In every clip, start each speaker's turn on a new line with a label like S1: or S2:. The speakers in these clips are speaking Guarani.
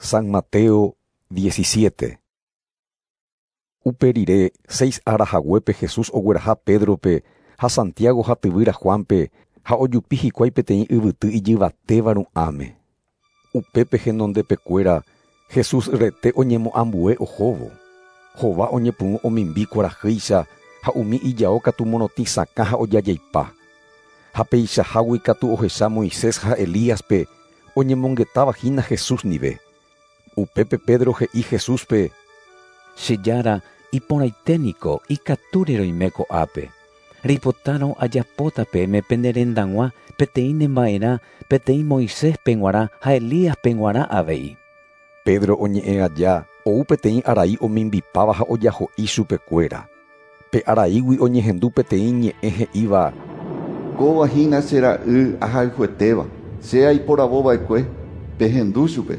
S1: San Mateo 17. Upe rire, seis ára haguépe Jesús ogueraha Pédrope ha Santiago ha tyvýra Juánpe ha ojupi hikuái peteĩ yvyty ijyvatéva ru'ãme. Upépe henondepekuéra Jesús rete oñemoambue ohóvo. Hova oñepyrũ omimbi kuarahýicha ha umi ijao katu morotĩ sakã ha ojajaipa. Ha peichahágui katu ohecha Moisés ha Elíaspe oñemongetáva hína Jesús ndive. Upépe Pedro he'i Jesúspe:
S2: Che Jára, iporãite niko ikatúre roime ko'ápe. Reipotárõ ajapóta peẽme pene rendag̃ua peteĩ nemba'erã, peteĩ Moiséspe g̃uarã ha Elíaspe g̃uarã avei.
S1: Pedro oñe'ẽ aja ou peteĩ arai omimbipáva ha ojaho'i chupekuéra. Pe araígui oñehendu peteĩ ñe'ẽ he'íva:
S3: Kóva hína che ra'y ahayhuetéva, che aiporavova'ekue, pehendu chupe.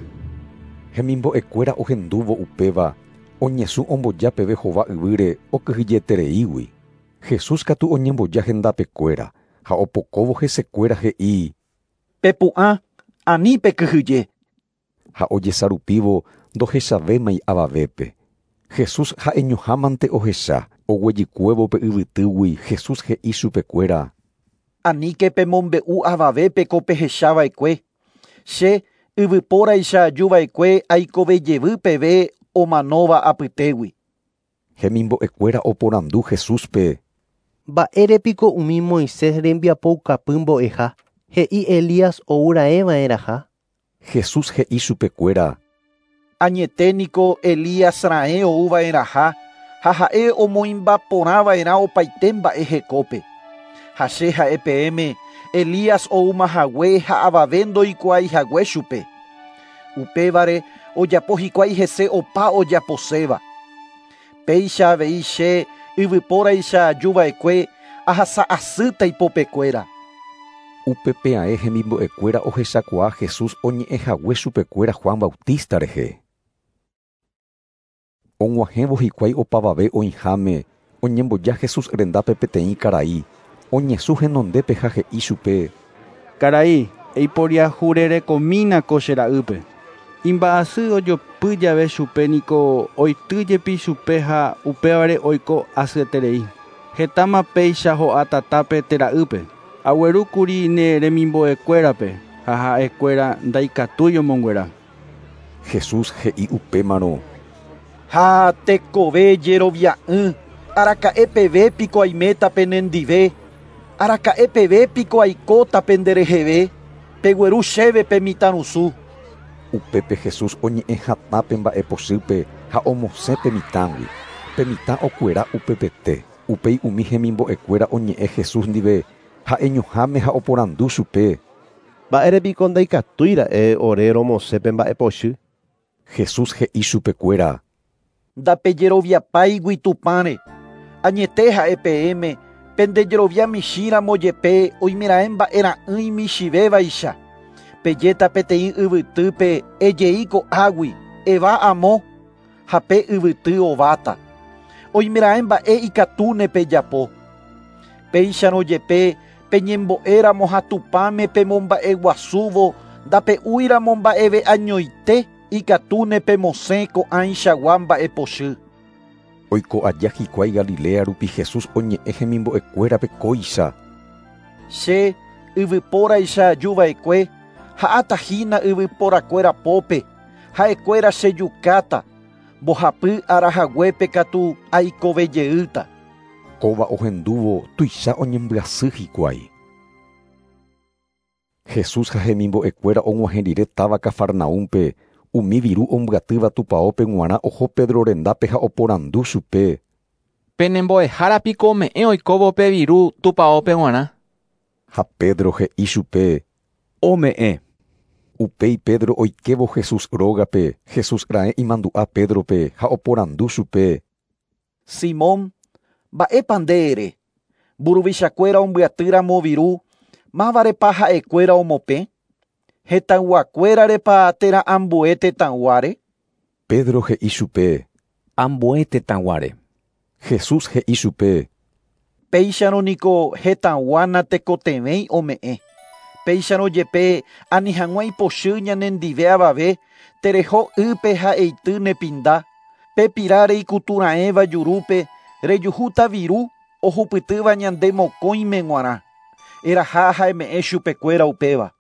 S1: Hemimbo'ekuéra ohendúvo upéva, oñesũ omboja peve hova yvýre okyhyjetereígui. Jesús katu oñemboja hendapekuéra ha opokóvo hesekuéra he'i:
S4: Pepu'ã, ani pekyhyje.
S1: Ha ojesarupívo ndohechavémai avavépe. Jesús ha'eñohámante ohecha, oguejykuévo pe yvytýgui Jesús he'i chupekuéra:
S4: Aníke pemombe'u avavépe ko pehechava'ekue. Che yvypóraicha ajuva'ekue aikovejevy peve omanóva apytégui.
S1: Hemimbo'ekuéra oporandu Jesúspe:
S5: Mba'érepiko umi Moisés rembiapoukapy mbo'eha he'i Elías ouraeva'erãha?
S1: Jesús he'i chupekuéra:
S4: Añete niko Elías raẽ ouva'erãha ha ha'e omoĩmbaporãva'erã opaite mba'e hekópe. Ha che ha'e peẽme Elías oumahague ha avave ndoikuaaihague chupe. Upévare ojapo hikuái hese opa ojaposéva. Péicha avei che yvypóraicha ajuva'ekue ahasa'asýta ipopekuéra.
S1: Upépe ae hemimbo'ekuéra ohechakuaa Jesús oñe'ẽhague chupekuéra Juan Bautista rehe. Og̃uahẽvo hikuái opavave oĩháme oñemboja Jesús rendápe peteĩ karai, oñesũ henondépe ha he'i chupe:
S6: Karai, eiporiahurerekomína ko che ra'ýpe. Imba'asy ojopy jave chupe niko oity jepi chupe ha upévare oiko asyeterei. Hetáma péicha ho'a tatápe térã ýpe. Aguerúkuri ne remimbo'ekuérape ha ha'ekuéra ndaikatúi omonguera.
S1: Jesús he'i upémarõ:
S4: Ha tekove jerovia'ỹ, araka'e peve piko aiméta penendive, araka'e peve piko aikóta pendereheve, pegueru chéve pe mitãrusu.
S1: Upépe Jesús oñe'ẽ hatã pe mba'epochýpe ha omosẽ pe mitãgui. Pe mitã okuera upepete. Upéi umi hemimbo'ekuéra oñe'ẽ Jesús ndive ha'eñoháme ha oporandu chupe:
S7: Mba'érepiko ndaikatúira'e ore romosẽ pe mba'epochy?
S1: Jesús he'i chupekuéra:
S4: Ndapejeroviapáigui Tupãre. Añete ha'e peẽme pendejerovia michĩramo jepe oimeraẽ mba'era'ỹi michĩvévaicha. Pejéta peteĩ yvytýpe ejei ko'águi, eva amo, ha pe yvyty ováta. Oimeraẽ mba'e ikatúne pejapo. Péicharõ jepe peñembo'éramo ha Tupãme pemomba'eguasúvo ndape'úiramo mba'eve añoite ikatúne pemosẽ ko'ãichagua mba'epochy.
S1: Oiko aja hikuái Galilea rupi Jesús oñe'ẽ hemimbo'ekuérape kóicha:
S4: Che yvypóraicha ajuva'ekue ha'átahína yvyporakuéra pópe, ha'ekuéra chejukáta, mbohapy ára haguépe katu aikovejeýta.
S1: Kóva ohendúvo tuicha oñembyasy hikuái. Jesús ha hemimbo'ekuéra og̃uahẽ rire táva Cafarnaúmpe, umi viru ombyatýva tupãópe g̃uarã oho Pedro rendápe ha oporandu chupe:
S8: Penembo'ehára piko ome'ẽ oikóvo pe viru tupãópe g̃uarã?
S1: Ha Pedro he'i chupe:
S2: Ome'ẽ.
S1: Upéi Pedro oikévo Jesús rógape, Jesús raẽ imandu'a Pédrope ha oporandu chupe:
S4: Simón, mba'épa nde ere? Mburuvichakuéra ombyatýramo viru, mávarepa ha'ekuéra omopẽ? Hetãyguakuérarepa térã ambue tetãyguáre?
S1: Pedro he'i chupe:
S2: Ambue tetãyguáre.
S1: Jesús he'i chupe:
S4: Péicharõ niko hetãygua natekotevẽi ome'ẽ. Péicharõ jepe ani hag̃ua ipochy ñanendive avave, tereho ýpe ha eity ne pinda. Pe pira reikutu raẽva jurúpe rejuhúta viru ohupytýva ñande mokõime g̃uarã. Eraha ha eme'ẽ chupekuéra upéva.